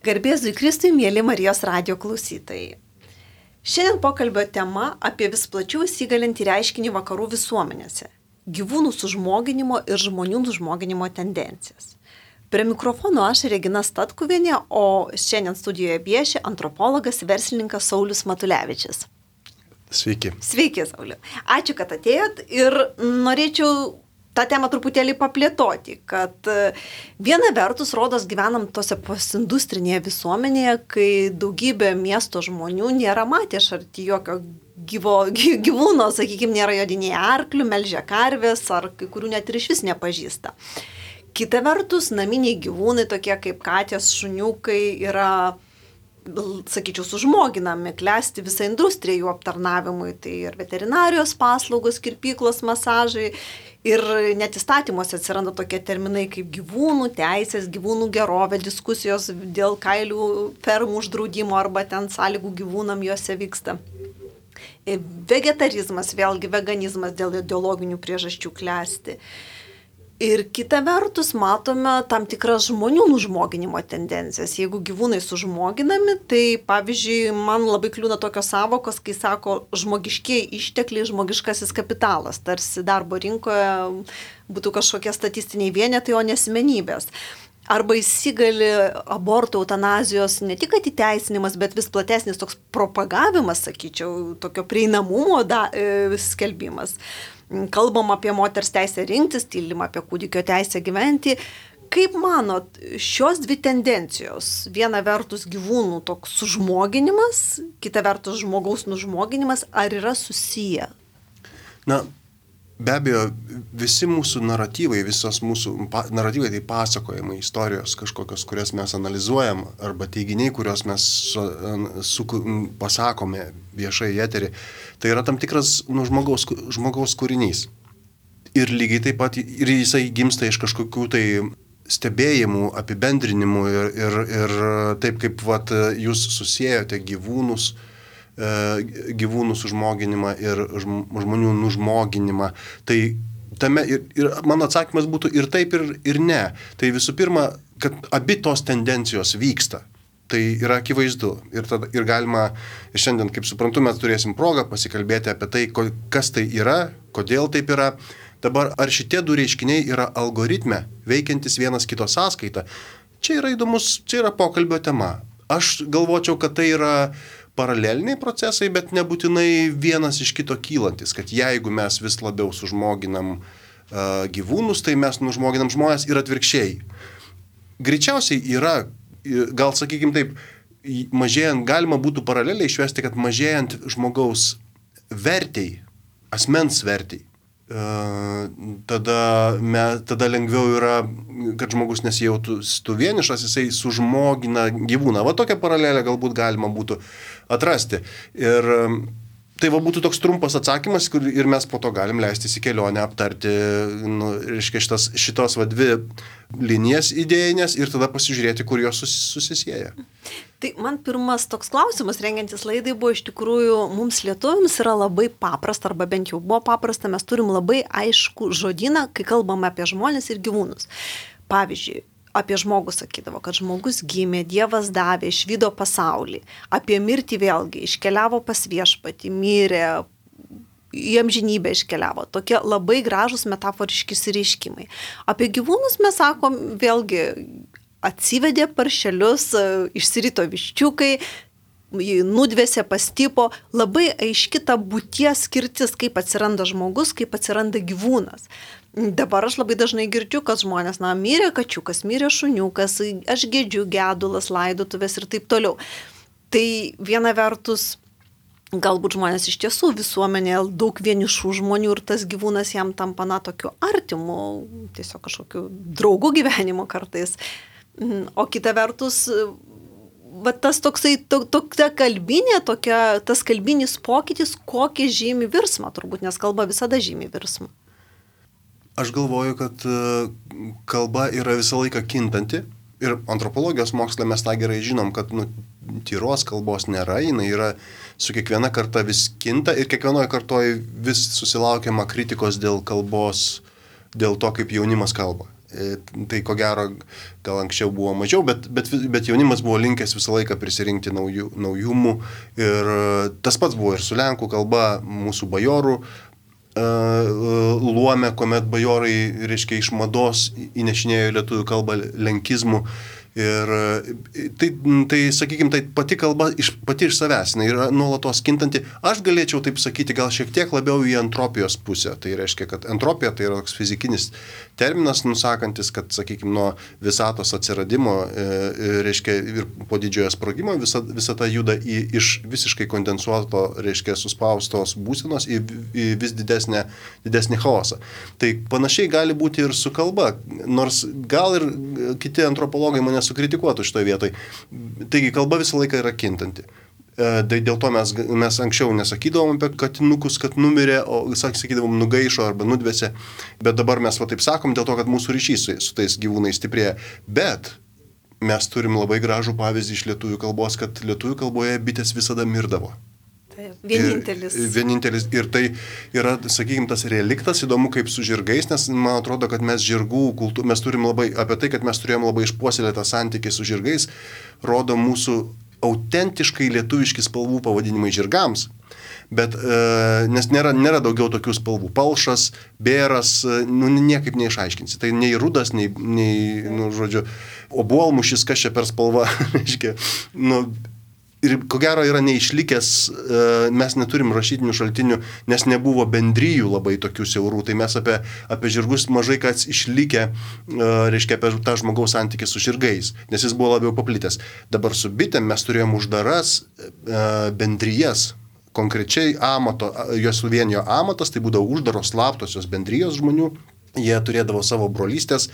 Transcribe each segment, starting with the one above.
Garbės Jėzui Kristui, mėly Marijos radijo klausytojai. Šiandien pokalbio tema apie vis plačiau įsigalintį reiškinį vakarų visuomenėse – gyvūnų sužmoginimo ir žmonių sužmoginimo tendencijas. Prie mikrofono aš Regina Statkuvienė, o šiandien studijoje vieši antropologas, verslininkas Saulius Matulevičius. Sveiki. Sveiki, Sauliu. Ačiū, kad atėjot ir norėčiau tą temą truputėlį paplėtoti, kad viena vertus, rodos, gyvenam tose postindustrinėje visuomenėje, kai daugybė miesto žmonių nėra matę šarti jokio gyvūno, sakykime, nėra jodinėję arklių, melžia karvės ar kai kurių net ir iš vis nepažįsta. Kita vertus, naminiai gyvūnai, tokie kaip katės, šuniukai, yra, sakyčiau, sužmoginami, klesti visą industriją jų aptarnavimui, tai ir veterinarijos paslaugos, kirpyklos, masažai. Ir net įstatymuose atsiranda tokie terminai kaip gyvūnų teisės, gyvūnų gerovė, diskusijos dėl kailių fermų uždraudimo arba ten sąlygų gyvūnam juose vyksta. Vegetarizmas, vėlgi veganizmas dėl ideologinių priežasčių klesti. Ir kita vertus matome tam tikras žmonių nužmoginimo tendencijas. Jeigu gyvūnai sužmoginami, tai pavyzdžiui, man labai kliūna tokios savokos, kai sako žmogiškieji ištekliai, žmogiškasis kapitalas. Tarsi darbo rinkoje būtų kažkokie statistiniai vienetai, o ne asmenybės. Arba įsigali abortų, eutanazijos ne tik įteisinimas, bet vis platesnis toks propagavimas, sakyčiau, tokio prieinamumo skelbimas. Kalbam apie moters teisę rinktis, tylim apie kūdikio teisę gyventi. Kaip manot, šios dvi tendencijos, viena vertus gyvūnų toks sužmoginimas, kita vertus žmogaus nužmoginimas, ar yra susiję? Na, be abejo, visi mūsų naratyvai, visos mūsų naratyvai, tai pasakojimai, istorijos kažkokios, kurias mes analizuojam, arba teiginiai, kuriuos mes pasakome viešai į eterį, tai yra tam tikras žmogaus kūrinys. Ir lygiai taip pat, ir jisai gimsta iš kažkokių tai stebėjimų, apibendrinimų ir taip kaip jūs susiejote gyvūnų sužmoginimą ir žmonių nužmoginimą. Tai tame ir mano atsakymas būtų ir taip, ir ne. Tai visų pirma, kad abi tos tendencijos vyksta. Tai yra akivaizdu. Ir galima, šiandien, kaip suprantu, mes turėsim progą pasikalbėti apie tai, kas tai yra, kodėl taip yra. Dabar, ar šitie du reiškiniai yra algoritme, veikiantis vienas kito sąskaita? Čia yra įdomus, čia yra pokalbio tema. Aš galvočiau, kad tai yra paraleliniai procesai, bet nebūtinai vienas iš kito kylantis, kad jeigu mes vis labiau sužmoginam gyvūnus, tai mes nužmoginam žmonės ir atvirkščiai. Greičiausiai yra, gal sakykime taip, mažėjant, galima būtų paraleliai išvesti, kad mažėjant žmogaus vertei, asmens vertei, tada lengviau yra, kad žmogus nesijautų vienišas, jisai sužmogina gyvūną. Va tokią paralelę galbūt galima būtų atrasti. Ir tai būtų toks trumpas atsakymas, ir mes po to galim leistis į kelionę, aptarti šitos dvi linijas idėjinės ir tada pasižiūrėti, kur jos susisieja. Tai man pirmas toks klausimas, rengiantis laidai, buvo iš tikrųjų, mums lietuviams yra labai paprasta, arba bent jau buvo paprasta, mes turim labai aišku žodyną, kai kalbame apie žmones ir gyvūnus. Pavyzdžiui, apie žmogų sakydavo, kad žmogus gimė, Dievas davė, išvydo pasaulį. Apie mirtį vėlgi, iškeliavo pas viešpatį, mirė, į amžinybę iškeliavo. Tokie labai gražūs metaforiški išsireiškimai. Apie gyvūnus mes sakom vėlgi, atsivedė paršelius, išsirito viščiukai, nudvėsė, pastypo, labai aiški ta būties skirtis, kaip atsiranda žmogus, kaip atsiranda gyvūnas. Dabar aš labai dažnai girdžiu, kad žmonės, mirė kačiukas, mirė šuniukas, aš gedžiu, gedulas, laidotuvės ir taip toliau. Tai viena vertus, galbūt žmonės iš tiesų visuomenėje daug vienišų žmonių ir tas gyvūnas jam tampa tokiu artimu, tiesiog kažkokiu draugu gyvenimo kartais. O kita vertus, tas toksai, tokia kalbinė, tas kalbinis pokytis, kokį žymi virsmą, turbūt, nes kalba visada žymi virsmą. Aš galvoju, kad kalba yra visą laiką kintanti ir antropologijos moksle mes tą gerai žinom, kad tyros kalbos nėra, jinai yra su kiekviena karta vis kinta ir kiekvienoje kartoje vis susilaukiama kritikos dėl kalbos, dėl to, kaip jaunimas kalba. Tai ko gero, gal anksčiau buvo mažiau, bet jaunimas buvo linkęs visą laiką prisirinkti naujumų. Ir tas pats buvo ir su lenkų kalba, mūsų bajorų luome, kuomet bajorai, reiškia, iš mados įnešinėjo į lietuvių kalbą lenkizmų. Ir tai sakykime, tai pati kalba pati iš savęs, jinai yra nuolatos kintanti. Aš galėčiau taip sakyti, gal šiek tiek labiau į entropijos pusę. Tai reiškia, kad entropija tai yra toks fizikinis terminas, nusakantis, kad, sakykime, nuo visatos atsiradimo, reiškia, ir po didžiojo sprogimo visata juda iš visiškai kondensuoto, reiškia, suspaustos būsenos į vis didesnį chaosą. Tai panašiai gali būti ir su kalba, nors gal ir kiti antropologai mane sukritikuotų šitoje vietoje. Taigi kalba visą laiką yra kintanti. Tai dėl to mes anksčiau nesakydavom apie katinukus, kad numirė, o sakydavom nugaišo arba nudvėsė, bet dabar mes taip sakom dėl to, kad mūsų ryšys su tais gyvūnais stiprėja. Bet mes turim labai gražų pavyzdį iš lietuvių kalbos, kad lietuvių kalboje bitės visada mirdavo. Vienintelis. Ir tai yra, sakykime, tas reliktas, įdomu kaip su žirgais, nes man atrodo, kad mes žirgų kultūrą, mes turim labai, apie tai, kad mes turėjom labai išpuoselėtą santykį su žirgais, rodo mūsų autentiškai lietuviški spalvų pavadinimai žirgams. Bet, nes nėra daugiau tokių spalvų. Palšas, bėras, niekaip neišaiškinsi. Tai nei rudas, nei žodžiu, obuolmušis, kas čia per spalva, reiškia, ir ko gero yra neišlikęs, mes neturim rašytinių šaltinių, nes nebuvo bendrijų labai tokių siaurų, tai mes apie žirgus mažai kas išlikę, reiškia, apie tą žmogaus santykį su žirgais, nes jis buvo labiau paplitęs. Dabar su bitėm mes turėjom uždaras bendrijas, konkrečiai juos suvienijo amatas, tai būdavo uždaros slaptosios bendrijos žmonių, jie turėdavo savo brolystės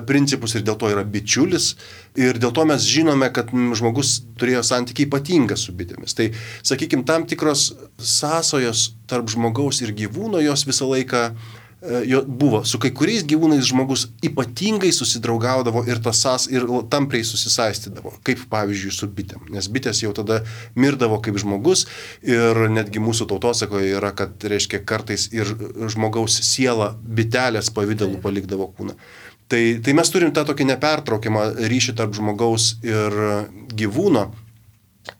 principus ir dėl to yra bičiulis. Ir dėl to mes žinome, kad žmogus turėjo santykį ypatingą su bitėmis. Tai, sakykime, tam tikros sąsajos tarp žmogaus ir gyvūno jos visą laiką buvo. Su kai kuriais gyvūnais žmogus ypatingai susidraugaudavo ir tampriai susisaistydavo, kaip pavyzdžiui su bitėm. Nes bitės jau tada mirdavo kaip žmogus ir netgi mūsų tautosakoje yra, kad reiškia kartais ir žmogaus siela bitelės pavidalų palikdavo kūną. Tai mes turim tą tokį nepertraukiamą ryšį tarp žmogaus ir gyvūno.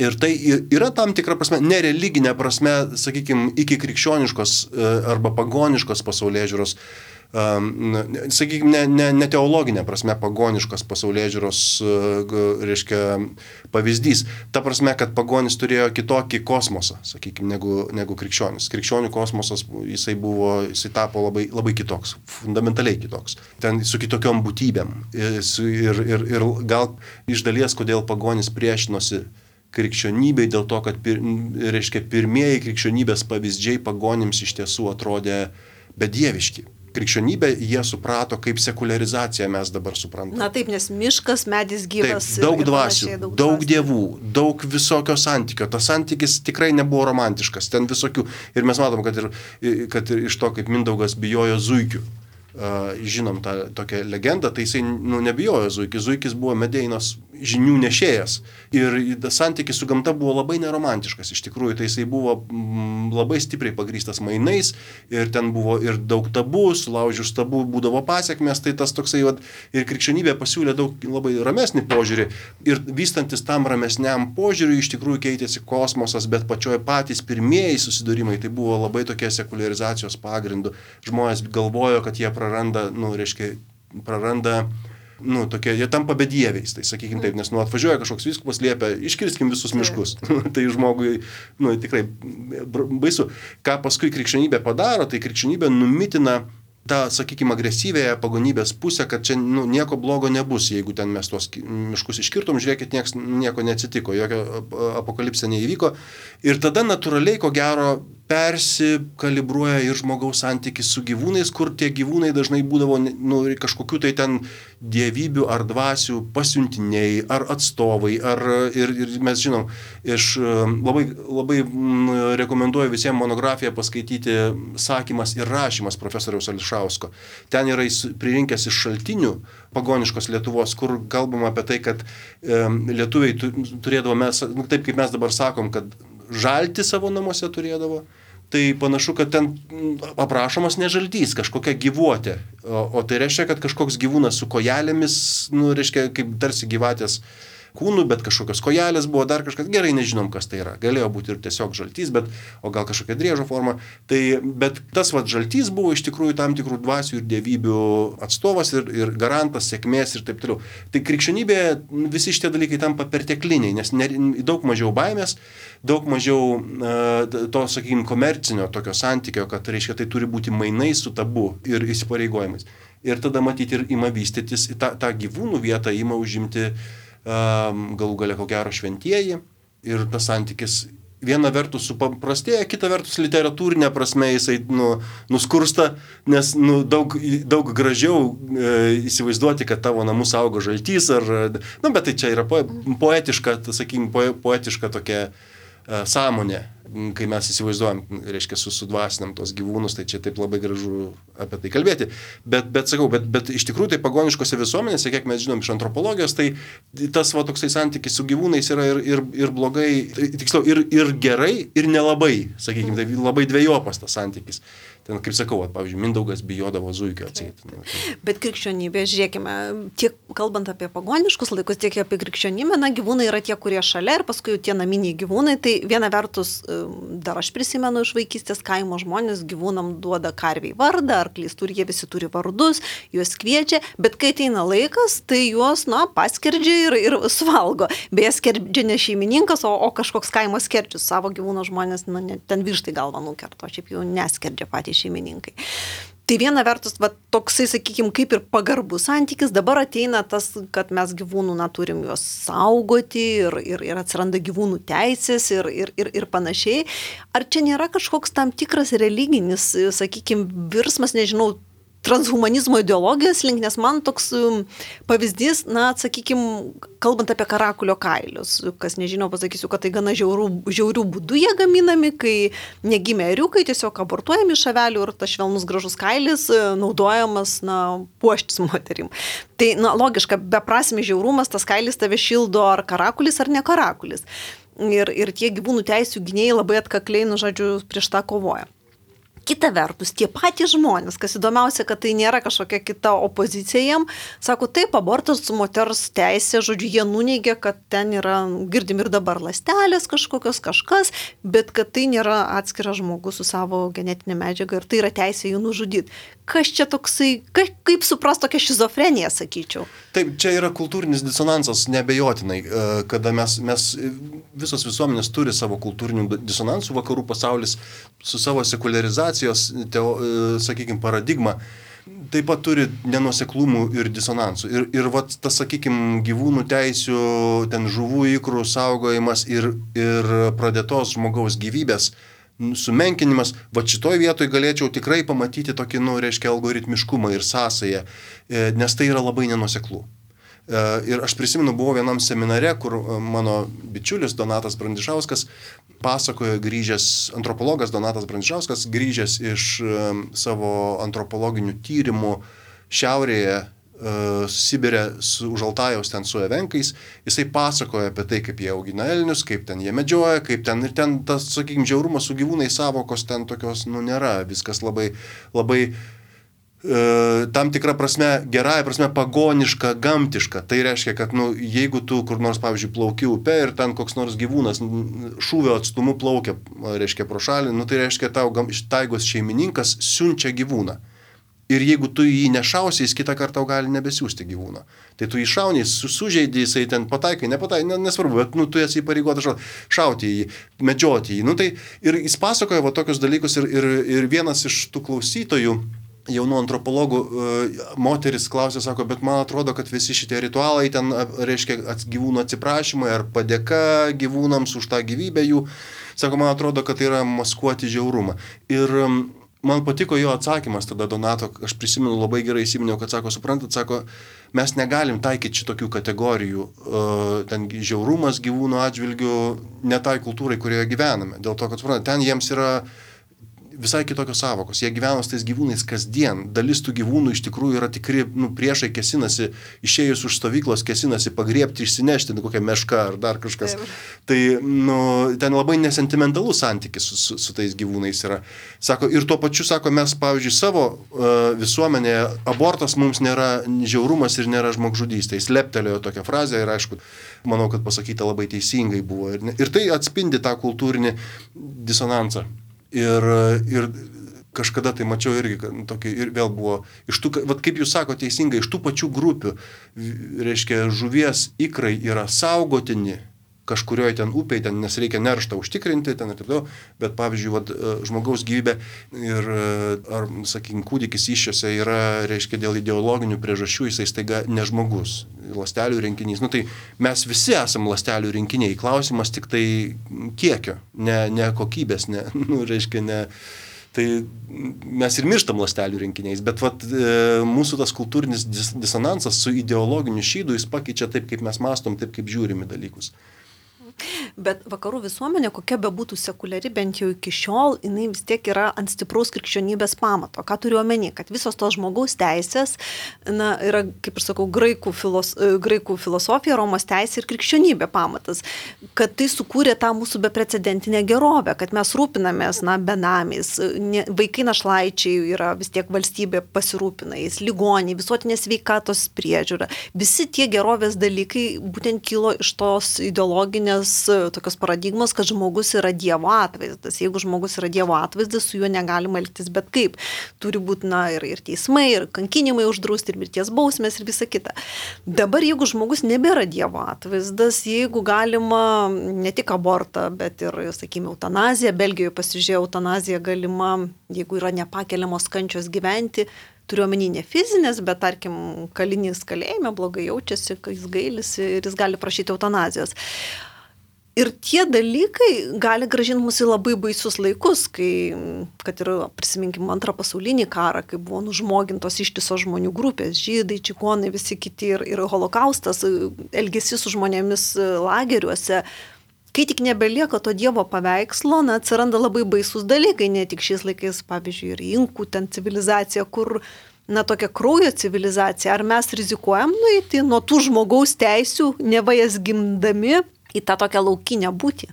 Ir tai yra tam tikra prasme, nereliginė prasme, sakykime, iki krikščioniškos arba pagoniškos pasaulėžiūros, sakykime, ne teologinė prasme, pagoniškos pasaulėžiūros, reiškia, pavyzdys. Ta prasme, kad pagonis turėjo kitokį kosmosą, sakykime, negu krikščionis. Krikščionių kosmosas, jisai tapo labai, labai kitoks, fundamentaliai kitoks. Ten su kitokiom būtybėm. Ir gal iš dalies, kodėl pagonis priešinosi krikščionybei, dėl to, kad reiškia, pirmieji krikščionybės pavyzdžiai pagonims iš tiesų atrodė bedieviški. Krikščionybę jie suprato kaip sekuliarizaciją mes dabar suprantame. Na taip, nes miškas, medis gyvas. Taip, daug dvasių, daug dievų, daug visokio santykio. Tas santykis tikrai nebuvo romantiškas, ten visokių. Ir mes matom, kad ir iš to, kaip Mindaugas bijojo zuikių. Žinom tą tokią legendą, tai jisai nebijojo zuikis. Zuikis buvo Medeinos žinių nešėjas. Ir santykis su gamta buvo labai neromantiškas. Iš tikrųjų, tai jisai buvo labai stipriai pagrįstas mainais ir ten buvo ir daug tabų, sulaužius tabų būdavo pasiekmes, tai tas toksai, ir krikščionybė pasiūlė daug labai ramesnį požiūrį. Ir vystantis tam ramesniam požiūriui, iš tikrųjų keitėsi kosmosas, bet pačioje patys pirmieji susidūrimai, tai buvo labai tokie sekuliarizacijos pagrindų. Žmonės galvojo, kad jie tokie, jie tampa bedieviais, tai sakykime taip, nes atvažiuoja kažkoks vyskupas, liepia, iškirskim visus miškus. Tai žmogui, tikrai baisu. Ką paskui krikščionybė padaro, tai krikščionybė numitina tą, sakykime, agresyvėje pagonybės pusę, kad čia nieko blogo nebus, jeigu ten mes tuos miškus iškirtom, žiūrėkit, nieko neatsitiko, jokio apokalipsė neįvyko. Ir tada natūraliai, ko gero, persikalibruoja ir žmogaus santykis su gyvūnais, kur tie gyvūnai dažnai būdavo kažkokių tai ten dievybių ar dvasių pasiuntiniai, ar atstovai, ir mes žinom, labai, labai rekomenduoju visiems monografiją paskaityti Sakymas ir rašymas profesoriaus Ališausko. Ten yra pririnkęs iš šaltinių pagoniškos Lietuvos, kur kalbama apie tai, kad lietuviai turėdavo, taip kaip mes dabar sakom, kad žalti savo namuose turėdavo, tai panašu, kad ten aprašomas ne žaltys, kažkokia gyvuotė. O tai reiškia, kad kažkoks gyvūnas su kojelėmis, reiškia, kaip tarsi gyvatės kūnų, bet kažkokios kojelės buvo, dar kažkas, gerai nežinom, kas tai yra. Galėjo būti ir tiesiog žaltys, o gal kažkokia driežo forma. Bet tas žaltys buvo iš tikrųjų tam tikrų dvasių ir dievybių atstovas ir garantas sėkmės ir taip toliau. Tai krikščionybėje visi šitie dalykai tampa pertekliniai, nes daug mažiau baimės, daug mažiau to, sakykime, komercinio tokio santykio, kad reiškia, tai turi būti mainai su tabu ir įsipareigojimais. Ir tada matyti ir ima vystytis, tą gyvūnų vietą ima užimti galų gale ko gero šventieji ir tas santykis viena vertus supaprastėja, kita vertus literatūrinė prasme jisai nuskursta, nes daug gražiau įsivaizduoti, kad tavo namus augo žaltys bet tai čia yra poetiška, sakykime, poetiška tokia sąmonė, kai mes įsivaizduojam, reiškia, sudvasinam tos gyvūnus, tai čia taip labai gražu apie tai kalbėti. Bet iš tikrųjų tai pagoniškose visuomenėse, kiek mes žinom iš antropologijos, tai tas toksai santykis su gyvūnais yra ir blogai, tiksliau, ir gerai, ir nelabai, sakykime, tai labai dvejopas tas santykis. Ten, kaip sakau, pavyzdžiui, Mindaugas bijodavo zuikio atseit. Bet krikščionybė, žiūrėkime, tiek kalbant apie pagoniškus laikus, tiek apie krikščionybę, gyvūnai yra tie, kurie šalia ir paskui tie naminiai gyvūnai. Tai viena vertus, dar aš prisimenu iš vaikystės, kaimo žmonės gyvūnam duoda karviai vardą, arklys turi, jie visi turi vardus, juos kviečia, bet kai ateina laikas, tai juos, paskerdžia ir suvalgo. Beje, skerdžia ne šeimininkas, o kažkoks kaimo skerdžius. Savo gyvūno žmonės ten vištai galvą nukerto, šiaip jau neskerdžia patys šeimininkai. Tai viena vertus, toksai, sakykime, kaip ir pagarbus santykis, dabar ateina tas, kad mes gyvūnų turim juos saugoti ir atsiranda gyvūnų teisės ir panašiai. Ar čia nėra kažkoks tam tikras religinis, sakykime, virsmas, nežinau, transhumanizmo ideologijos link, nes man toks pavyzdys, sakykime, kalbant apie karakulio kailius, kas nežinau, pasakysiu, kad tai gana žiaurių būdų jie gaminami, kai negimė ėriukai, tiesiog abortuojami iš avelių ir tas švelnus gražus kailis naudojamas, puoštis moterim. Tai, logiška, beprasmis žiaurumas, tas kailis tave šildo ar karakulis, ar ne karakulis. Ir tie gyvūnų teisių gynėjai labai atkakliai, prieš tą kovoja. Kita vertus, tie patys žmonės, kas įdomiausia, kad tai nėra kažkokia kita opozicija jiem, sako, taip, abortas moters teisė, jie nuneigia, kad ten yra, girdim ir dabar ląstelės kažkas, bet kad tai nėra atskiras žmogus su savo genetinė medžiaga ir tai yra teisė jų nužudyti. Kas čia toksai, kaip supras tokia šizofrenija, sakyčiau? Taip, čia yra kultūrinis disonansas, neabejotinai, kada mes visos visuomenės turi savo kultūrinių disonansų, vakarų pasaulis su savo sekularizacijos, sakykime, paradigma, taip pat turi nenuoseklumų ir disonansų. Ir tas, sakykime, gyvūnų teisių, ten žuvų ikrų saugojimas ir pradėtos žmogaus gyvybės sumenkinimas, šitoj vietoj galėčiau tikrai pamatyti tokį, algoritmiškumą ir sąsają, nes tai yra labai nenuoseklų. Ir aš prisimenu, buvau vienam seminare, kur mano bičiulis Donatas Brandišauskas pasakojo antropologas Donatas Brandišauskas, grįžęs iš savo antropologinių tyrimų šiaurėje, Sibire už Altajaus ten su evenkais, jisai pasakoja apie tai, kaip jie augina elnius, kaip ten jie medžioja, kaip ten ir ten tas, sakykime, žiaurumas su gyvūnai savokos ten tokios, nėra, viskas labai tam tikra prasme, gerąja prasme pagoniška, gamtiška. Tai reiškia, kad jeigu tu kur nors, pavyzdžiui, plauki upe ir ten koks nors gyvūnas šūvio atstumu plaukia, reiškia, pro šalį, tai reiškia, tau taigos šeimininkas siunčia gyvūną. Ir jeigu tu jį nešausi, jis kitą kartą gali nebesiųsti gyvūną. Tai tu jį šauni, sužeidži, jisai ten pataikai, nesvarbu, bet tu esi įpareigotas šauti jį, medžioti jį. Tai ir jis pasakoja tokius dalykus ir vienas iš tų klausytojų, jaunų antropologų, moteris klausė, sako, bet man atrodo, kad visi šitie ritualai ten, reiškia, gyvūnų atsiprašymai ar padėka gyvūnams už tą gyvybę jų, sako, man atrodo, kad tai yra maskuoti žiaurumą. Ir man patiko jo atsakymas tada Donato, aš prisimenu labai gerai įsiminiau, kad sako, mes negalim taikyti šitokių kategorijų, ten žiaurumas gyvūnų atžvilgių, ne tai kultūrai, kurioje gyvename. Dėl to, kad ten jiems yra visai kitokios savokos. Jie gyvena su tais gyvūnais kasdien. Dalis tų gyvūnų iš tikrųjų yra tikri, priešai kėsinasi, išėjus už stovyklos kėsinasi pagriebti, išsinešti kokią mešką ar dar kažkas. Tai, ten labai nesentimentalus santykis su tais gyvūnais yra. Sako, ir tuo pačiu, sako, mes, pavyzdžiui, savo visuomenėje abortas mums nėra žiaurumas ir nėra žmogžudystė. Jis leptelėjo tokią frazę ir, aišku, manau, kad pasakyta labai teisingai buvo. Ir tai atspindi tą kultūrinį disonansą. Ir kažkada tai mačiau irgi, tokį, ir vėl buvo, iš tų, vat kaip jūs sako teisingai, iš tų pačių grupių, reiškia, žuvies ikrai yra saugotini kažkurioje ten upėje, ten, nes reikia nerštą užtikrinti, ten ir taip toliau, bet pavyzdžiui, vat, žmogaus gyvybė ir, ar, sakykime, kūdikis iššiose yra, reiškia, dėl ideologinių priežasčių, jisai staiga ne žmogus, ląstelių rinkinys. Tai mes visi esam ląstelių rinkiniai, klausimas tik tai kiekio, ne kokybės, reiškia, ne. Tai mes ir mirštam ląstelių rinkiniais, bet vat, mūsų tas kultūrinis disonansas su ideologiniu šydu, jis pakeičia taip, kaip mes mąstom, taip, kaip žiūrime dalykus. Bet vakarų visuomenė, kokia bebūtų sekuliari, bent jau iki šiol, jinai vis tiek yra ant stipraus krikščionybės pamato. Ką turiu omeny, kad visos tos žmogaus teisės, yra, kaip ir sakau, graikų filosofija, Romos teisė ir krikščionybė pamatas. Kad tai sukūrė tą mūsų beprecedentinę gerovę, kad mes rūpinamės, benamiais, vaikai našlaičiai yra vis tiek valstybė pasirūpina, jais ligoniai, visuotinės sveikatos priežiūra. Visi tie gerovės dalykai būtent kilo iš tos ideologinės tokios paradigmos, kad žmogus yra Dievo atvaizdas. Jeigu žmogus yra Dievo atvaizdas, su juo negalima elgtis bet kaip. Turi būti, ir teismai, ir kankinimai uždrausti, ir mirties bausmės, ir visa kita. Dabar, jeigu žmogus nebėra Dievo atvaizdas, jeigu galima ne tik abortą, bet ir, sakykime, eutanaziją, Belgijoje pasižiūrėjau, eutanazija galima, jeigu yra nepakeliamos kančios gyventi, turiu omeny ne fizinės, bet, tarkim, kalinys kalėjime blogai jaučiasi, kai jis gailisi ir jis gali prašyti eutanazijos. Ir tie dalykai gali gražinti mus į labai baisius laikus, kai, kad ir prisiminkim Antrą pasaulinį karą, kai buvo nužmogintos ištisos žmonių grupės, žydai, čigonai, visi kiti ir holokaustas, elgesys su žmonėmis lageriuose. Kai tik nebelieka to Dievo paveikslo, atsiranda labai baisus dalykai, ne tik šiais laikais, pavyzdžiui, ir inkų ten civilizacija, kur, tokia kraujo civilizacija. Ar mes rizikuojam nueiti nuo tų žmogaus teisių, neva jas gimdami, į tą tokią laukinę būtį?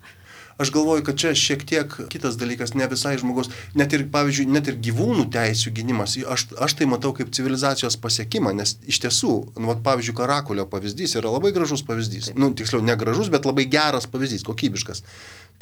Aš galvoju, kad čia šiek tiek kitas dalykas, ne visai žmogaus, net ir, pavyzdžiui, net ir gyvūnų teisių gynimas, aš tai matau kaip civilizacijos pasiekimą, nes iš tiesų, pavyzdžiui, karakulio pavyzdys yra labai gražus pavyzdys. Tiksliau, ne gražus, bet labai geras pavyzdys, kokybiškas.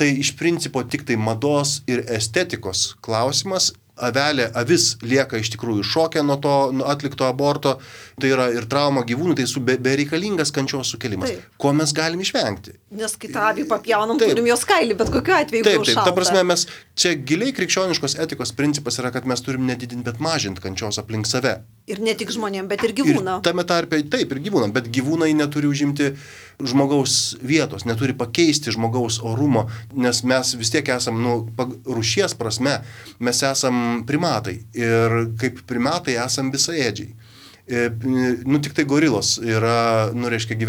Tai iš principo tik tai mados ir estetikos klausimas. Avis lieka iš tikrųjų šoke nuo to atlikto aborto, tai yra ir trauma gyvūnų, tai bereikalingas kančios sukelimas. Taip. Ko mes galim išvengti? Nes kai tą avį papjaunam, turim jos kailį, bet kokiu atveju taip, ta prasme, mes čia giliai krikščioniškos etikos principas yra, kad mes turim nedidinti, bet mažinti kančios aplink save. Ir ne tik žmonėm, bet ir gyvūnam. Tame tarpe, taip, ir gyvūnam, bet gyvūnai neturi užimti žmogaus vietos, neturi pakeisti žmogaus orumo, nes mes vis tiek esam, rūšies prasme, mes esam primatai ir kaip primatai esam visaėdžiai. Tik tai gorilos yra, reiškia,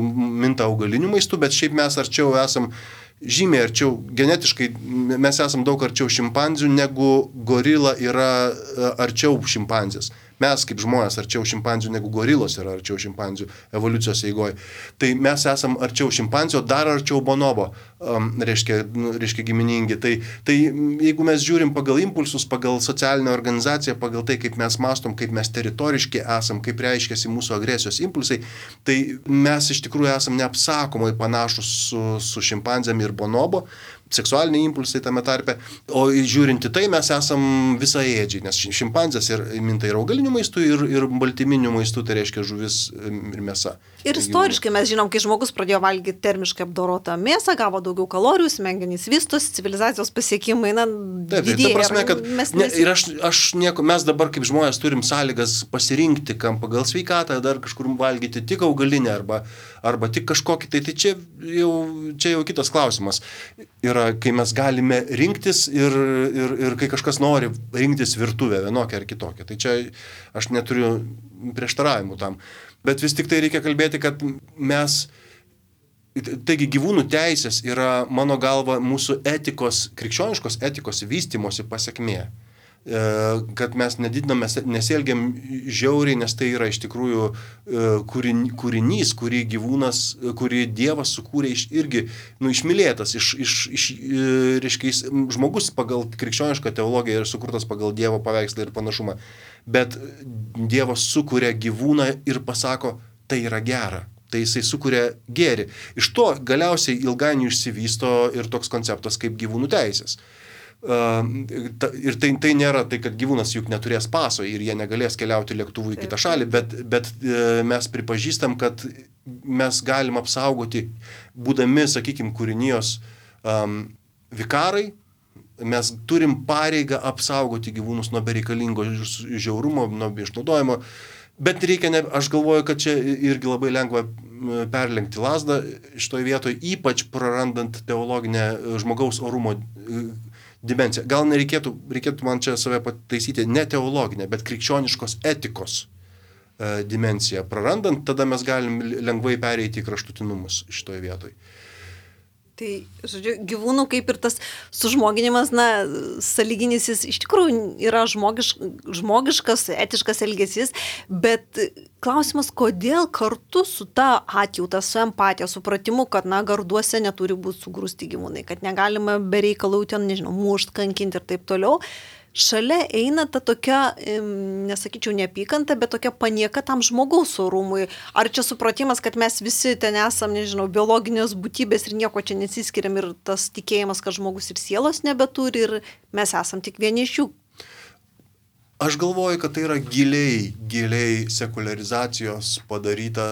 minta augaliniu maistu, bet šiaip mes arčiau esam, žymiai arčiau, genetiškai mes esam daug arčiau šimpanzių, negu gorila yra arčiau šimpanzės. Mes kaip žmonės arčiau šimpanzių, negu gorilos yra arčiau šimpanzių evoliucijos eigoje. Tai mes esam arčiau šimpanzio, dar arčiau bonobo, reiškia giminingi. Tai jeigu mes žiūrim pagal impulsus, pagal socialinę organizaciją, pagal tai, kaip mes mąstom, kaip mes teritoriški esam, kaip reiškiasi mūsų agresijos impulsai, tai mes iš tikrųjų esam neapsakomai panašus su šimpanzėm ir bonobo, seksualiniai impulsai tame tarpe, o žiūrinti tai mes esam visaėdžiai, nes šimpanzės minta ir augalinių maistų, ir baltyminių maistų, tai reiškia žuvis ir mėsa. Ir istoriškai mes žinom, kai žmogus pradėjo valgyti termiškai apdorotą mėsą, gavo daugiau kalorijų, smegenys vystosi, civilizacijos pasiekimai, didėja. Ta prasme, kad mes dabar kaip žmonės turim sąlygas pasirinkti, kam pagal sveikatą, dar kažkur valgyti tik augalinę arba tik kažkokį, tai čia jau kitas klausimas. Yra, kai mes galime rinktis ir kai kažkas nori rinktis virtuvę vienokią ar kitokią. Tai čia aš neturiu prieštaravimų tam. Bet vis tik tai reikia kalbėti, kad mes Taigi gyvūnų teisės yra, mano galva, mūsų etikos, krikščioniškos etikos vystymosi pasiekmė. Kad mes nedidiname, nesielgiam žiauriai, nes tai yra iš tikrųjų kūrinys, kurį gyvūnas, kurį Dievas sukūrė irgi, išmylėtas, reiškia, žmogus pagal krikščionišką teologiją yra sukurtas pagal Dievo paveikslą ir panašumą. Bet Dievas sukūrė gyvūną ir pasako, tai yra gera. Tai jisai sukuria gėrį. Iš to galiausiai ilgainiui išsivysto ir toks konceptas kaip gyvūnų teisės. Ir tai nėra tai, kad gyvūnas juk neturės paso ir jie negalės keliauti lėktuvu į kitą šalį, bet mes pripažįstam, kad mes galim apsaugoti, būdami, sakykime, kūrinijos vikarai, mes turim pareigą apsaugoti gyvūnus nuo bereikalingo žiaurumo, nuo išnaudojimo. Bet reikia, aš galvoju, kad čia irgi labai lengva perlenkti lazdą šitoj vietoje, ypač prarandant teologinę žmogaus orumo dimensiją. Gal reikėtų man čia save pataisyti, ne teologinę, bet krikščioniškos etikos dimensiją. Prarandant, tada mes galim lengvai pereiti į kraštutinumus šitoj vietoje. Tai, žodžiu, gyvūnų kaip ir tas sužmoginimas, sąlyginis jis iš tikrųjų yra žmogiškas, etiškas elgesys, bet klausimas, kodėl kartu su ta atjauta, su empatija, supratimu, kad, garduose neturi būti sugrūsti gyvūnai, kad negalima be reikalų ten, mušt, kankinti ir taip toliau. Šalia eina ta tokia, nesakyčiau neapykanta, bet tokia panieka tam žmogaus orumui. Ar čia supratimas, kad mes visi ten esam, biologinės būtybės ir nieko čia nesiskiriam ir tas tikėjimas, kad žmogus ir sielos nebeturi ir mes esam tik vieni iš jų. Aš galvoju, kad tai yra giliai sekuliarizacijos padaryta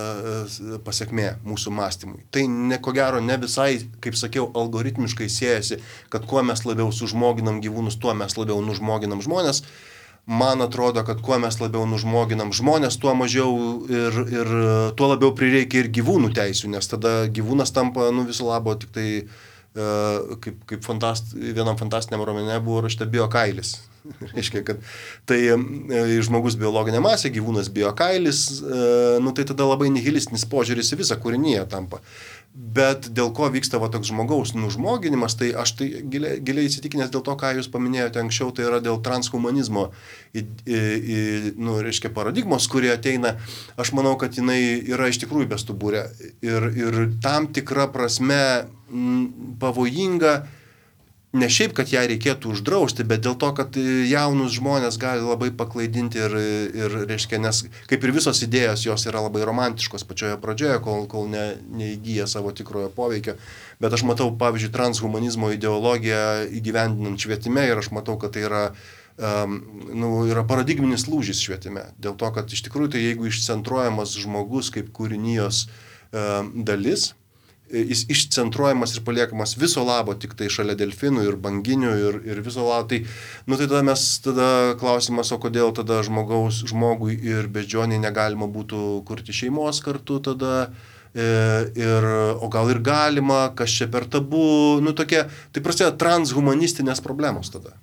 pasiekmė mūsų mąstymui. Tai ko gero ne visai, kaip sakiau, algoritmiškai siejasi, kad kuo mes labiau sužmoginam gyvūnus, tuo mes labiau nužmoginam žmonės. Man atrodo, kad kuo mes labiau nužmoginam žmonės, tuo mažiau ir tuo labiau prireikia ir gyvūnų teisių, nes tada gyvūnas tampa viso labo tik tai, kaip vienam fantastiniam romane buvo rašyta biokailis. Reiškia, kad tai žmogus biologinė masė, gyvūnas biokailis, tai tada labai nihilistinis požiūris į visą kūriniją tampa. Bet dėl ko vyksta toks žmogaus nužmoginimas, tai aš tai giliai įsitikinęs dėl to, ką jūs paminėjote anksčiau, tai yra dėl transhumanizmo reiškia, paradigmos, kurie ateina. Aš manau, kad jinai yra iš tikrųjų bestuburė ir tam tikra prasme pavojinga. Ne šiaip, kad ją reikėtų uždrausti, bet dėl to, kad jaunus žmonės gali labai paklaidinti ir reiškia, nes kaip ir visos idėjos, jos yra labai romantiškos pačioje pradžioje, kol neįgyja savo tikrojo poveikio. Bet aš matau, pavyzdžiui, transhumanizmo ideologiją įgyvendinant švietime ir aš matau, kad tai yra paradigminis lūžis švietime. Dėl to, kad iš tikrųjų tai jeigu išcentruojamas žmogus kaip kūrinijos dalis, jis išcentruojamas ir paliekamas viso labo tik tai šalia delfinų ir banginių ir viso labo. Tai tada klausimas, o kodėl tada žmogui ir beždžioniai negalima būtų kurti šeimos kartu tada, o gal ir galima, kas čia per tabu, tai prasideda transhumanistinės problemos tada.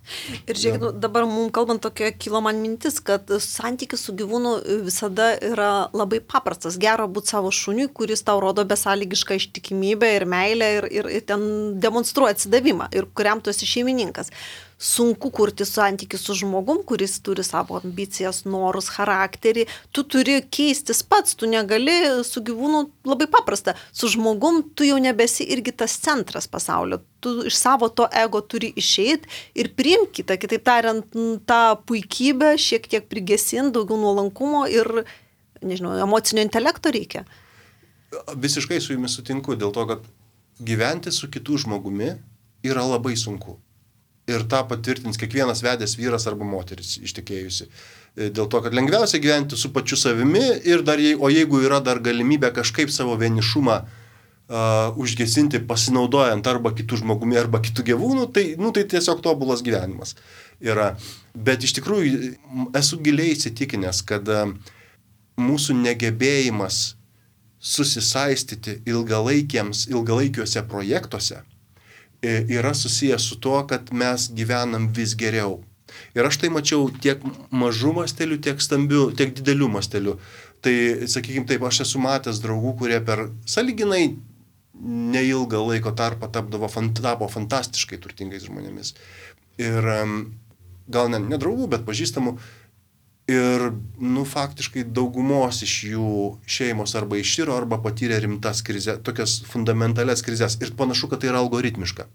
Ir žiūrėkit, dabar mums kalbant tokia kilo man mintis, kad santykis su gyvūnu visada yra labai paprastas. Gera būti savo šuniui, kuris tau rodo besąlygišką ištikimybę ir meilę ir ten demonstruoja atsidavimą ir kuriam tu esi šeimininkas. Sunku kurti santykį su žmogum, kuris turi savo ambicijas, norus, charakterį. Tu turi keistis pats, tu negali su gyvūnu labai paprasta. Su žmogum tu jau nebesi irgi tas centras pasaulio. Tu iš savo to ego turi išeiti ir priimti kitą. Kitaip tariant, tą puikybę šiek tiek prigesinti, daugiau nuolankumo ir, emocinio intelekto reikia. Visiškai su jumis sutinku, dėl to, kad gyventi su kitu žmogumi yra labai sunku. Ir tą patvirtins kiekvienas vedęs vyras arba moteris ištekėjusi. Dėl to, kad lengviausia gyventi su pačiu savimi ir o jeigu yra dar galimybė kažkaip savo vienišumą užgesinti pasinaudojant arba kitų žmogumi, arba kitų gyvūnų, tai tiesiog tobulas gyvenimas yra. Bet iš tikrųjų esu giliai įsitikinęs, kad mūsų negebėjimas susisaistyti ilgalaikiuose projektuose yra susijęs su to, kad mes gyvenam vis geriau. Ir aš tai mačiau tiek mažų mastelių, tiek didelių mastelių. Tai, sakykime taip, aš esu matęs draugų, kurie per sąlyginai neilgą laiko tarpą tapo fantastiškai turtingais žmonėmis. Ir gal ne draugų, bet pažįstamų. Ir, faktiškai daugumos iš jų šeimos arba iširo, arba patyrė rimtas krizės, tokias fundamentalias krizės. Ir panašu, kad tai yra algoritmiška.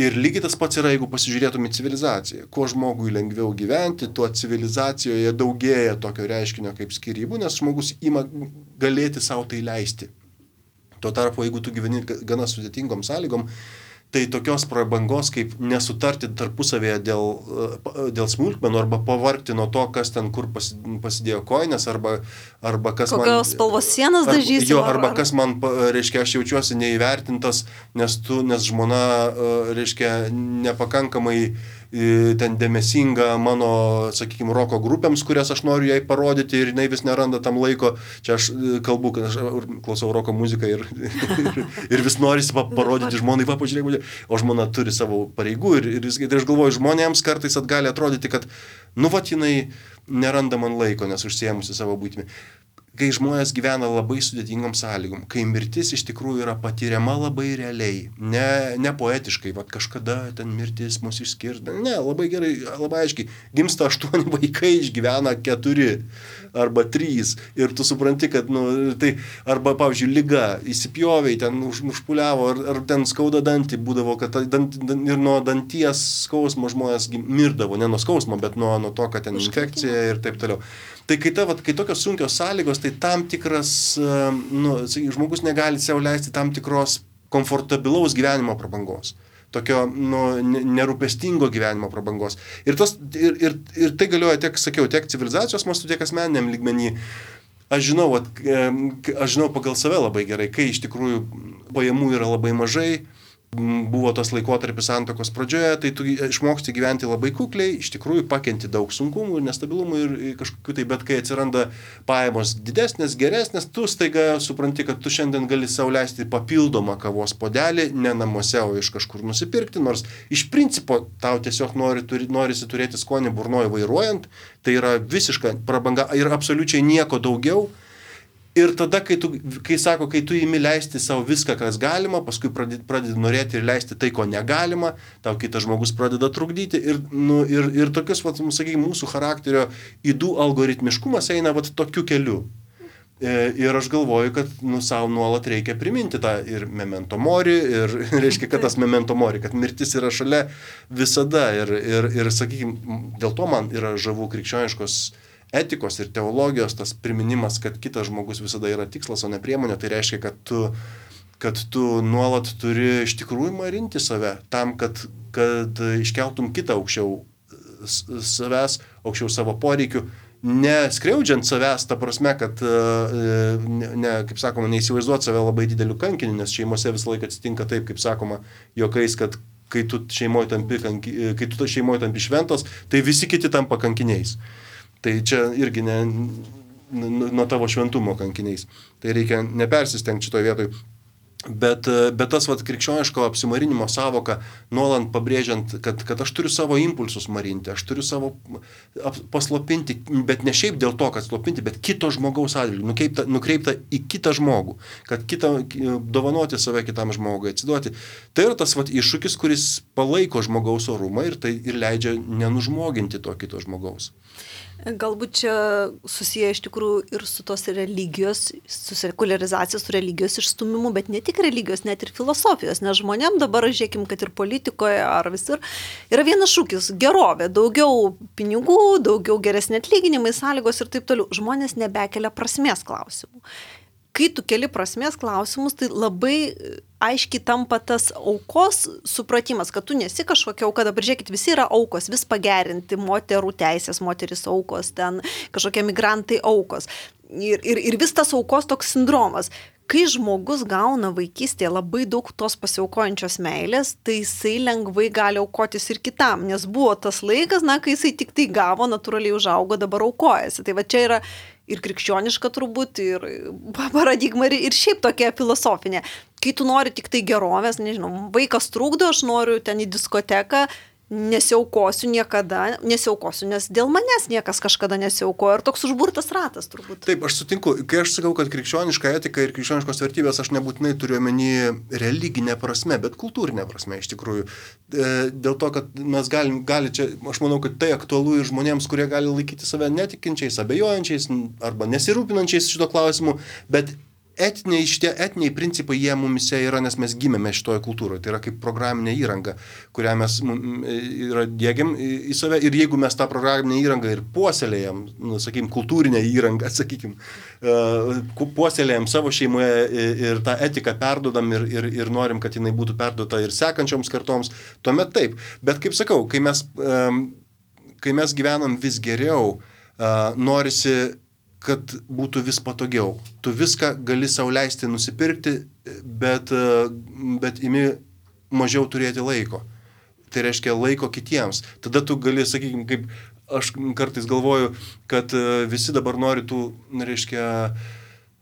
Ir lygiai tas pats yra, jeigu pasižiūrėtume į civilizaciją. Kuo žmogui lengviau gyventi, tuo civilizacijoje daugėja tokio reiškinio kaip skyrybų, nes žmogus ima galėti savo tai leisti. Tuo tarpu, jeigu tu gyveni gana sudėtingom sąlygom, tai tokios prabangos kaip nesutarti tarpusavėje dėl smulkmenų arba pavargti nuo to, kas ten kur pasidėjo kojines arba kas man... Kokios spalvos sienas dažysi. Arba kas man, reiškia, aš jaučiuosi neįvertintas, nes žmona, reiškia, nepakankamai ten dėmesinga mano, sakykime, roko grupėms, kurias aš noriu jai parodyti ir jinai vis neranda tam laiko. Čia aš kalbu, kad aš klausau roko muziką ir vis norisi parodyti žmonai, pažiūrėk, o žmona turi savo pareigų ir aš galvoju, žmonėms kartais gali atrodyti, kad, jinai neranda man laiko, nes užsiėmusi savo būtimi. Kai žmonės gyvena labai sudėtingom sąlygom, kai mirtis iš tikrųjų yra patiriama labai realiai, ne poetiškai, kažkada ten mirtis mus išskirs, ne, labai gerai, labai aiškiai, gimsta 8 vaikai, išgyvena 4 arba 3 ir tu supranti, kad, tai arba, pavyzdžiui, liga, įsipjoviai, ten užpuliavo, ar ten skauda dantį būdavo, kad ir nuo danties skausmo žmonės mirdavo, ne nuo skausmo, bet nuo to, kad ten infekcija ir taip toliau. Tai kai tokios sunkios sąlygos, tai tam tikras, žmogus negali savo leisti tam tikros komfortabilaus gyvenimo prabangos, tokio nerūpestingo gyvenimo prabangos. Ir tai galioja tiek civilizacijos mastu, tiek asmeniniam lygmenį. Aš žinau pagal save labai gerai, kai iš tikrųjų pajamų yra labai mažai, buvo tas laikotarpis santuokos pradžioje, tai tu išmoksti gyventi labai kukliai, iš tikrųjų pakenti daug sunkumų ir nestabilumų ir kažkokių tai, bet kai atsiranda pajamos didesnės, geresnės, tu staiga supranti, kad tu šiandien gali sau leisti papildomą kavos puodelį, ne namuose, o iš kažkur nusipirkti, nors iš principo tau tiesiog norisi turėti skonį burnoje vairuojant, tai yra visiška prabanga ir absoliučiai nieko daugiau. Ir tada, kai tu imi leisti savo viską, kas galima, paskui pradedi norėti ir leisti tai, ko negalima, tau kitas žmogus pradeda trukdyti ir tokius, sakykime, mūsų charakterio ydų algoritmiškumas eina tokiu keliu. Ir aš galvoju, kad savo nuolat reikia priminti tą ir memento mori, ir reiškia, kad tas memento mori, kad mirtis yra šalia visada. Ir sakykime, dėl to man yra žavu krikščioniškos etikos ir teologijos tas priminimas, kad kitas žmogus visada yra tikslas, o ne priemonė, tai reiškia, kad tu nuolat turi iš tikrųjų marinti save tam, kad iškeltum kitą aukščiau savęs, aukščiau savo poreikių, neskriaudžiant savęs, ta prasme, kad, kaip sakoma, neįsivaizduot save labai dideliu kankiniu, nes šeimose visą laiką atsitinka taip, kaip sakoma, juokais, kad kai tu šeimoje tampi šventas, tai visi kiti tampa kankiniais. Tai čia irgi nuo tavo šventumo kankiniais. Tai reikia nepersistengti šitoje vietoje. Bet tas krikščioniško apsimarinimo savoka, nuolant pabrėžiant, kad aš turiu savo impulsus marinti, aš turiu savo paslopinti, bet ne šiaip dėl to, kad slopinti, bet kito žmogaus atžvilgiu, nukreipta į kitą žmogų, kad dovanoti save kitam žmogui, atsiduoti. Tai yra tas iššūkis, kuris palaiko žmogaus orumą ir tai ir leidžia nenužmoginti to kito žmogaus. Galbūt čia susiję iš tikrųjų ir su tos religijos, su sekuliarizacijos, su religijos išstumimu, bet ne tik religijos, net ir filosofijos, nes žmonėm dabar, žiūrėkim, kad ir politikoje ar visur, yra vienas šūkis – gerovė, daugiau pinigų, daugiau geresni atlyginimai, sąlygos ir taip toliau. Žmonės nebekelia prasmės klausimų. Kai tu keli prasmės klausimus, tai labai aiškiai tampa tas aukos supratimas, kad tu nesi kažkokia auka, dabar žiūrėkit, visi yra aukos, vis pagerinti, moterų teisės, moteris aukos, ten kažkokie migrantai aukos. Ir vis tas aukos toks sindromas. Kai žmogus gauna vaikystėje labai daug tos pasiaukojančios meilės, tai jisai lengvai gali aukotis ir kitam, nes buvo tas laikas, kai jisai tik tai gavo, natūraliai užaugo, dabar aukojasi. Tai va čia yra ir krikščioniška turbūt, ir paradigma, ir šiaip tokia filosofinė. Kai tu nori tik tai gerovės, nežinau, vaikas trukdo, aš noriu ten į diskoteką, nesiaukosiu niekada, nes dėl manęs niekas kažkada nesiaukojo ir toks užburtas ratas turbūt. Taip, aš sutinku, kai aš sakau, kad krikščioniška etika ir krikščioniškos vertybės, aš nebūtinai turiu omeny religinę prasme, bet kultūrinę prasme iš tikrųjų. Dėl to, kad mes gali čia, aš manau, kad tai aktualu ir žmonėms, kurie gali laikyti save netikinčiais, abejojančiais arba nesirūpinančiais šito klausimu, bet šitie etiniai principai jie mumise yra, nes mes gimėme šitoje kultūroje. Tai yra kaip programinė įranga, kurią mes diegiam į save. Ir jeigu mes tą programinę įrangą ir puoselėjam, sakykim, kultūrinę įrangą, sakykim, puoselėjam savo šeimoje ir tą etiką perdodam ir norim, kad jinai būtų perduota ir sekančioms kartoms, tuomet taip. Bet kaip sakau, kai mes gyvenam vis geriau, norisi kad būtų vis patogiau. Tu viską gali sau leisti nusipirkti, bet imi mažiau turėti laiko. Tai reiškia laiko kitiems. Tada tu gali, sakykime, kaip aš kartais galvoju, kad visi dabar nori tų, reiškia,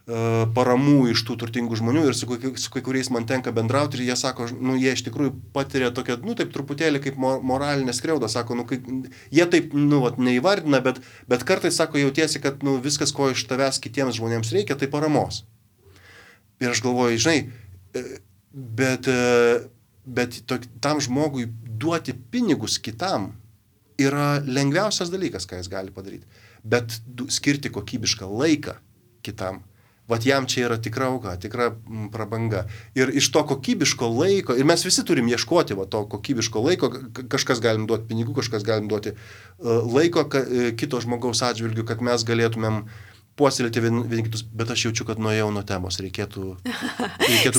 paramų iš tų turtingų žmonių ir su kai kuriais man tenka bendrauti ir jie sako, jie iš tikrųjų patiria tokią, taip truputėlį kaip moralinę skriaudą, sako, jie taip, neįvardina, bet kartais, sako, jautiesi, kad, viskas, ko iš tavęs kitiems žmonėms reikia, tai paramos. Ir aš galvoju, žinai, bet tam žmogui duoti pinigus kitam yra lengviausias dalykas, ką jis gali padaryti. Bet skirti kokybišką laiką kitam, vat jam čia yra tikra auka, tikra prabanga. Ir iš to kokybiško laiko, ir mes visi turim ieškoti to kokybiško laiko, kažkas galim duoti pinigų, kažkas galim duoti laiko kito žmogaus atžvilgių, kad mes galėtumėm puoselėti vieni kitus, bet aš jaučiu, kad nuėjau nuo temos, reikėtų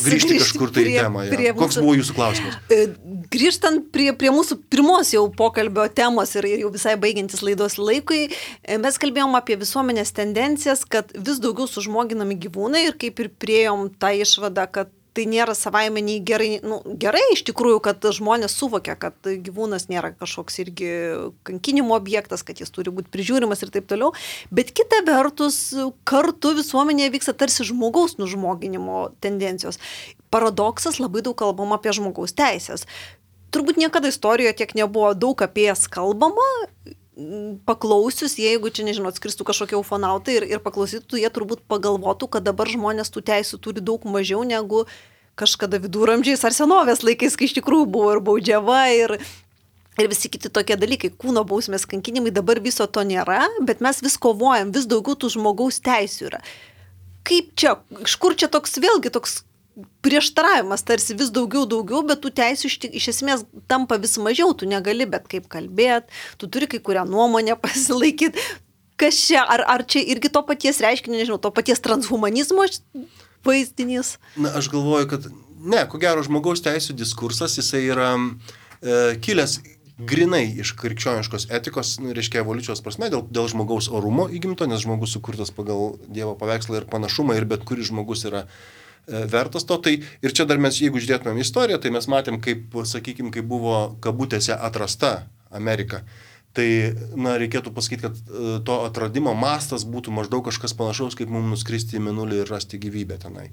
grįžti kažkur tai į temą. Koks buvo jūsų klausimas? Grįžtant prie mūsų pirmos jau pokalbio temos ir jau visai baigiantis laidos laikui, mes kalbėjom apie visuomenės tendencijas, kad vis daugiau sužmoginami gyvūnai ir kaip ir priėjom tą išvadą, kad tai nėra savaime nei gerai, gerai iš tikrųjų, kad žmonės suvokia, kad gyvūnas nėra kažkoks irgi kankinimo objektas, kad jis turi būti prižiūrimas ir taip toliau, bet kita vertus, kartu visuomenėje vyksta tarsi žmogaus nužmoginimo tendencijos. Paradoksas, labai daug kalbama apie žmogaus teisės. Turbūt niekada istorijoje tiek nebuvo daug apie jas kalbama, paklausius, jeigu čia, nežinau, atskristų kažkokie ufonautai ir paklausytų, jie turbūt pagalvotų, kad dabar žmonės tų teisų turi daug mažiau negu kažkada viduramžiais ar senovės laikais, kai iš tikrųjų buvo ir baudžiava ir visi kiti tokie dalykai, kūno bausmės, kankinimai, dabar viso to nėra, bet mes vis kovojam, vis daugiau tų žmogaus teisių yra. Kaip čia, iš kur čia toks vėlgi toks prieštaravimas, tarsi vis daugiau, bet tų teisių iš esmės tampa vis mažiau, tu negali bet kaip kalbėti, tu turi kai kurią nuomonę pasilaikyti. Kas čia, ar čia irgi to paties reiškinio, nežinau, to paties transhumanizmo vaizdinys? Aš galvoju, kad ne, ko gero žmogaus teisų diskursas, jisai yra kilęs grinai iš krikščioniškos etikos, reiškia evoliucijos prasme, dėl žmogaus orumo įgimto, nes žmogus sukurtas pagal Dievo paveikslą ir panašumą ir bet kuris žmogus yra vertas to. Tai ir čia dar mes, jeigu žiūrėtumėm istoriją, tai mes matėm, kaip, sakykime, kaip buvo kabutėse atrasta Amerika. Tai, reikėtų pasakyti, kad to atradimo mastas būtų maždaug kažkas panašaus, kaip mums nuskristi į Mėnulį ir rasti gyvybę tenai.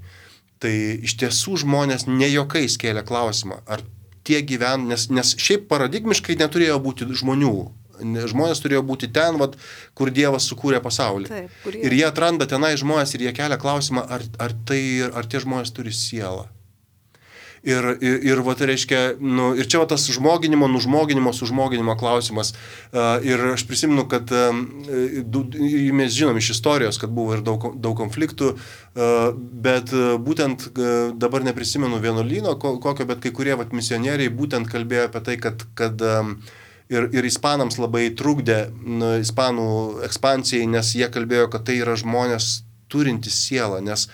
Tai iš tiesų žmonės ne juokais kėlė klausimą, ar tie nes šiaip paradigmiškai neturėjo būti žmonių. Žmonės turėjo būti ten, kur Dievas sukūrė pasaulį. Taip, ir jie atranda tenai žmonės ir jie kelia klausimą, ar tie žmonės turi sielą. Ir reiškia, ir čia tas sužmoginimo klausimas. Ir aš prisimenu, kad mes žinom iš istorijos, kad buvo ir daug konfliktų, bet būtent dabar neprisimenu vienuolyno kokio, bet kai kurie misionieriai būtent kalbėjo apie tai, kad ir ispanams labai trukdė ispanų ekspansijai, nes jie kalbėjo, kad tai yra žmonės turintys sielą, nes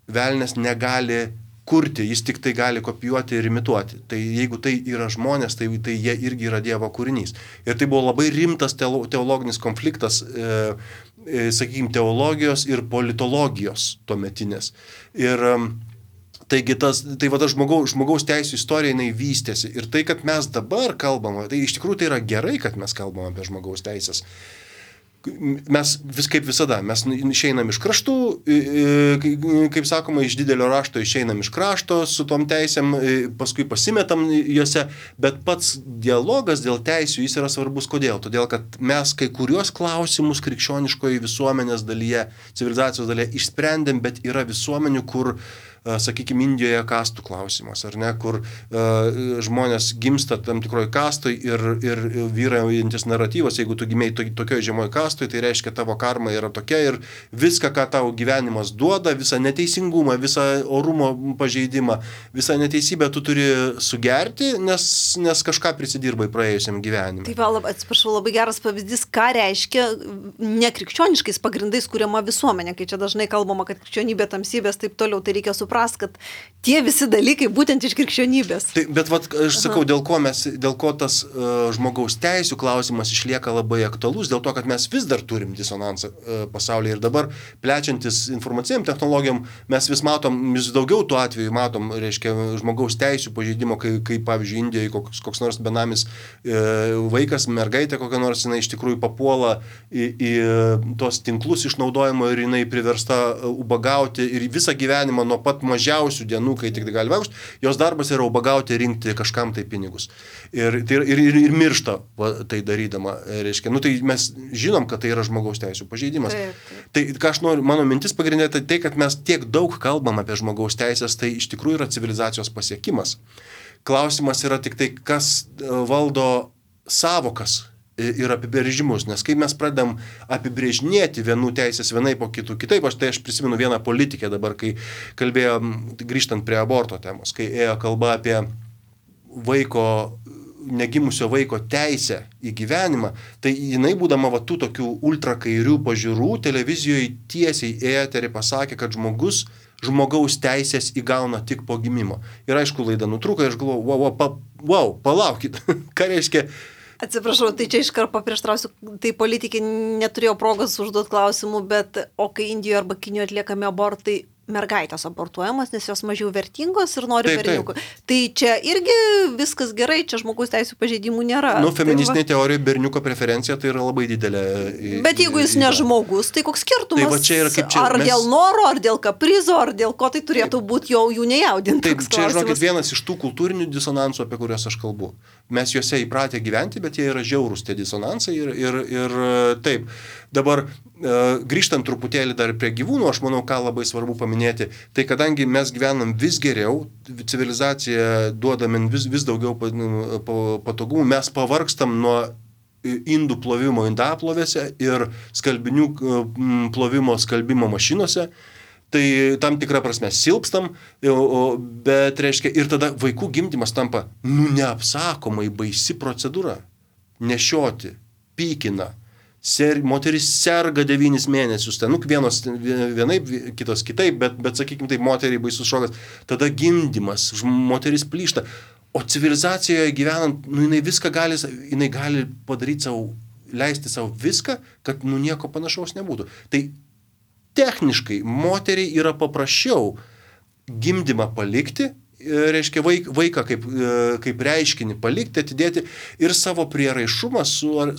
velnias negali kurti, jis tik tai gali kopijuoti ir imituoti. Tai jeigu tai yra žmonės, tai jie irgi yra Dievo kūrinys. Ir tai buvo labai rimtas teologinis konfliktas, sakykime, teologijos ir politologijos tuometinės. Ir taigi tas žmogaus teisų istorija jinai vystėsi. Ir tai, kad mes dabar kalbame, tai iš tikrųjų tai yra gerai, kad mes kalbame apie žmogaus teisės. mes kaip visada, mes išeinam iš kraštų, kaip sakoma, iš didelio rašto išeinam iš krašto su tom teisėm, paskui pasimetam juose, bet pats dialogas dėl teisių jis yra svarbus. Kodėl? Todėl, kad mes kai kuriuos klausimus krikščioniškoje visuomenės dalyje, civilizacijos dalyje išsprendėm, bet yra visuomenių, kur sakykime, Indijoje kastų klausimas, ar ne, kur žmonės gimsta tam tikroj kastoj ir vyraujantis naratyvas, jeigu tu gimei tokioje žemoj kastoj, tai reiškia tavo karma yra tokia ir viską, ką tau gyvenimas duoda, visą neteisingumą, visą orumo pažeidimą, visą neteisybę tu turi sugerti, nes kažką prisidirbai praėjusiam gyvenimui. Tai atsiprašau, labai geras pavyzdys, ką reiškia nekrikščioniškais pagrindais kuriama visuomenė, kai čia dažnai kalbama, kad krikščionybė, tamsybės, taip toliau, tai reikia suprast, kad tie visi dalykai būtent iš krikščionybės. Tai, bet aš sakau, dėl ko tas žmogaus teisių klausimas išlieka labai aktualus, dėl to, kad mes vis dar turim disonansą pasaulyje ir dabar plečiantis informacijom technologijom, mes vis daugiau tų atvejų matom, reiškia, žmogaus teisių pažeidimo, kai pavyzdžiui, Indijoje koks nors benamis vaikas, mergaitė kokia nors, jinai iš tikrųjų papuola į tos tinklus išnaudojimo ir jinai priversta ubagauti ir visą gyvenimą nuo pat mažiausių dienų, kai tik gali vaikšti, jos darbas yra ubagauti, rinkti kažkam tai pinigus. Ir miršta tai darydama. Reiškia, tai mes žinom, kad tai yra žmogaus teisų pažeidimas. Tai ką aš noriu, mano mintis pagrindinė, tai kad mes tiek daug kalbam apie žmogaus teisės, tai iš tikrųjų yra civilizacijos pasiekimas. Klausimas yra tik tai, kas valdo savokas ir apibrėžimus, nes kai mes pradedam apibrėžinėti vienų teisės vienai po kitų kitaip, aš prisimenu vieną politikę dabar, kai kalbėjom, grįžtant prie aborto temos, kai ėjo kalba apie negimusio vaiko teisę į gyvenimą, tai jinai būdama tų tokių ultrakairių pažiūrų televizijoje tiesiai eterį pasakė, kad žmogaus teisės įgauna tik po gimimo. Ir aišku, laida nutrūko ir aš galvoju, palaukit, ką reiškia. Atsiprašau, tai čia iškart paprieštrausiu, tai politikai neturėjo progos užduoti klausimų, bet o kai Indijoje arba Kinijoje atliekami abortai, mergaitės abortuojamos, nes jos mažiau vertingos ir nori berniukų. Tai čia irgi viskas gerai, čia žmogaus teisų pažeidimų nėra. Feministinė teorija berniuko preferencija tai yra labai didelė. Bet jeigu jis ne žmogus, tai koks skirtumas? Tai čia yra, ar dėl noro, ar dėl kaprizo, ar dėl ko tai turėtų būti jų nejaudinti. Taip, čia žinokit vienas iš tų kultūrinių disonansų, apie kuriuos aš kalbu. Mes juose įpratę gyventi, bet jie yra žiaurūs tie disonansai ir taip. Dabar grįžtant truputėlį dar prie gyvūnų, aš manau, ką labai svarbu paminėti, tai kadangi mes gyvenam vis geriau, civilizacija duoda man vis daugiau patogumų, mes pavargstam nuo indų plovimo indaplovėse ir skalbinių plovimo skalbimo mašinose. Tai tam tikrą prasme silpstam, bet reiškia ir tada vaikų gimdymas tampa neapsakomai baisi procedūra. Nešioti, pykina, moteris serga 9 mėnesius, vienos vienaip, kitos kitaip, bet sakykime, tai moteriai baisus šokas. Tada gimdymas, moteris plyšta. O civilizacijoje gyvenant, jinai viską jinai gali padaryti leisti savo viską, kad nieko panašaus nebūtų. Tai techniškai moteriai yra paprasčiau gimdymą palikti, reiškia vaiką kaip reiškinį palikti, atidėti ir savo prieraišumą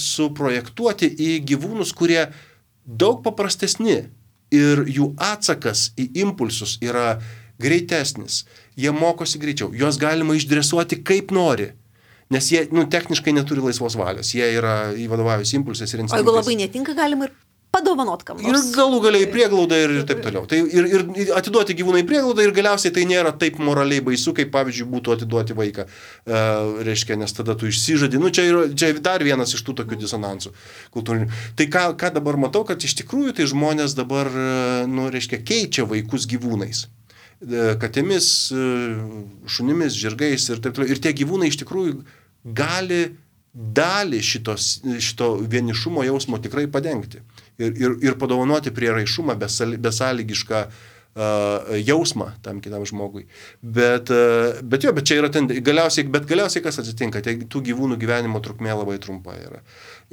suprojektuoti į gyvūnus, kurie daug paprastesni ir jų atsakas į impulsus yra greitesnis. Jie mokosi greičiau, juos galima išdresuoti kaip nori. Nes jie techniškai neturi laisvos valios, jie vadovaujasi impulsais ir instinktais. O jeigu labai netinka, galima ir padovanot kam nors. Ir galų galiai prieglaudą ir taip toliau. Tai ir atiduoti gyvūną į prieglaudą ir galiausiai tai nėra taip moraliai baisu, kaip pavyzdžiui būtų atiduoti vaiką. Reiškia, nes tada tu išsižadi. Čia dar vienas iš tų tokių disonansų kultūrinių. Tai ką dabar matau, kad iš tikrųjų tai žmonės dabar, reiškia, keičia vaikus gyvūnais. Katėmis, šunimis, žirgais ir taip toliau. Ir tie gyvūnai iš tikrųjų gali dalį šito vienišumo jausmo tikrai padengti ir padovanoti prieraišumą, besąlygišką jausmą tam kitam žmogui. Bet čia yra galiausiai kas atsitinka, tai tų gyvūnų gyvenimo trukmė labai trumpa yra.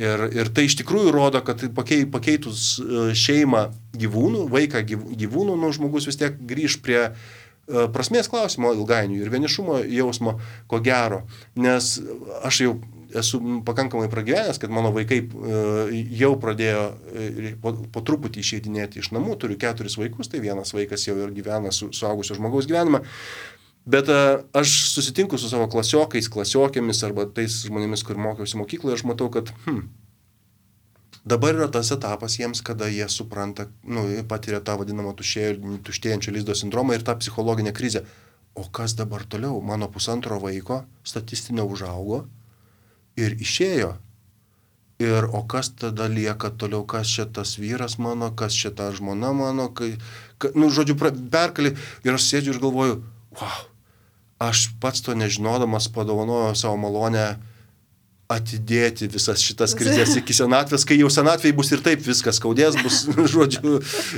Ir tai iš tikrųjų rodo, kad pakeitus šeimą gyvūnų, vaiką gyvūnų, žmogus vis tiek grįž prie prasmės klausimo ilgainiui ir vienišumo jausmo, ko gero. Nes aš jau esu pakankamai pragyvenęs, kad mano vaikai jau pradėjo po truputį išeidinėti iš namų, turiu 4 vaikus, tai vienas vaikas jau ir gyvena suaugusio žmogaus gyvenimą. Bet aš susitinku su savo klasiokais, klasiokėmis arba tais žmonėmis, kur mokiausi mokykloje, aš matau, kad dabar yra tas etapas jiems, kada jie supranta, patiria tą vadinamą tuštėjančio lizdo sindromą ir tą psichologinę krizę. O kas dabar toliau? Mano 1,5 vaiko statistinė užaugo ir išėjo. Ir o kas tada lieka toliau, kas čia tas vyras mano, kas čia ta žmona mano, žodžiu, perkali. Ir aš sėdžiu ir galvoju, wow, aš pats to nežinodamas padovanojau savo malonę atidėti visas šitas krizės iki senatvės, kai jau senatvėje bus ir taip viskas skaudės, bus, žodžiu,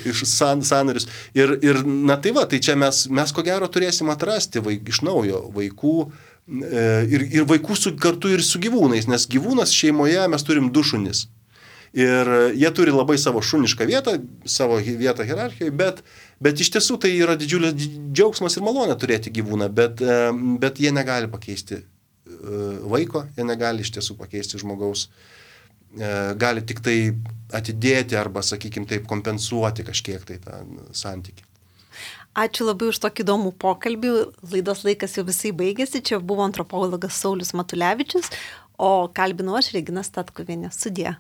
iš sąnarius. Ir tai va, tai čia mes ko gero turėsim atrasti iš naujo vaikų ir vaikų kartu ir su gyvūnais, nes gyvūnas šeimoje mes turim 2 šunis. Ir jie turi labai savo šunišką vietą, savo vietą hierarchijoje, bet iš tiesų tai yra didžiulis džiaugsmas ir malonė turėti gyvūną, bet jie negali pakeisti vaiko, jie negali iš tiesų pakeisti žmogaus, gali tik tai atidėti arba, sakykime, taip kompensuoti kažkiek tai tą santykį. Ačiū labai už tokį įdomų pokalbį. Laidos laikas jau visai baigėsi. Čia buvo antropologas Saulius Matulevičius, o kalbinau aš Regina Statkuvienė. Sudie.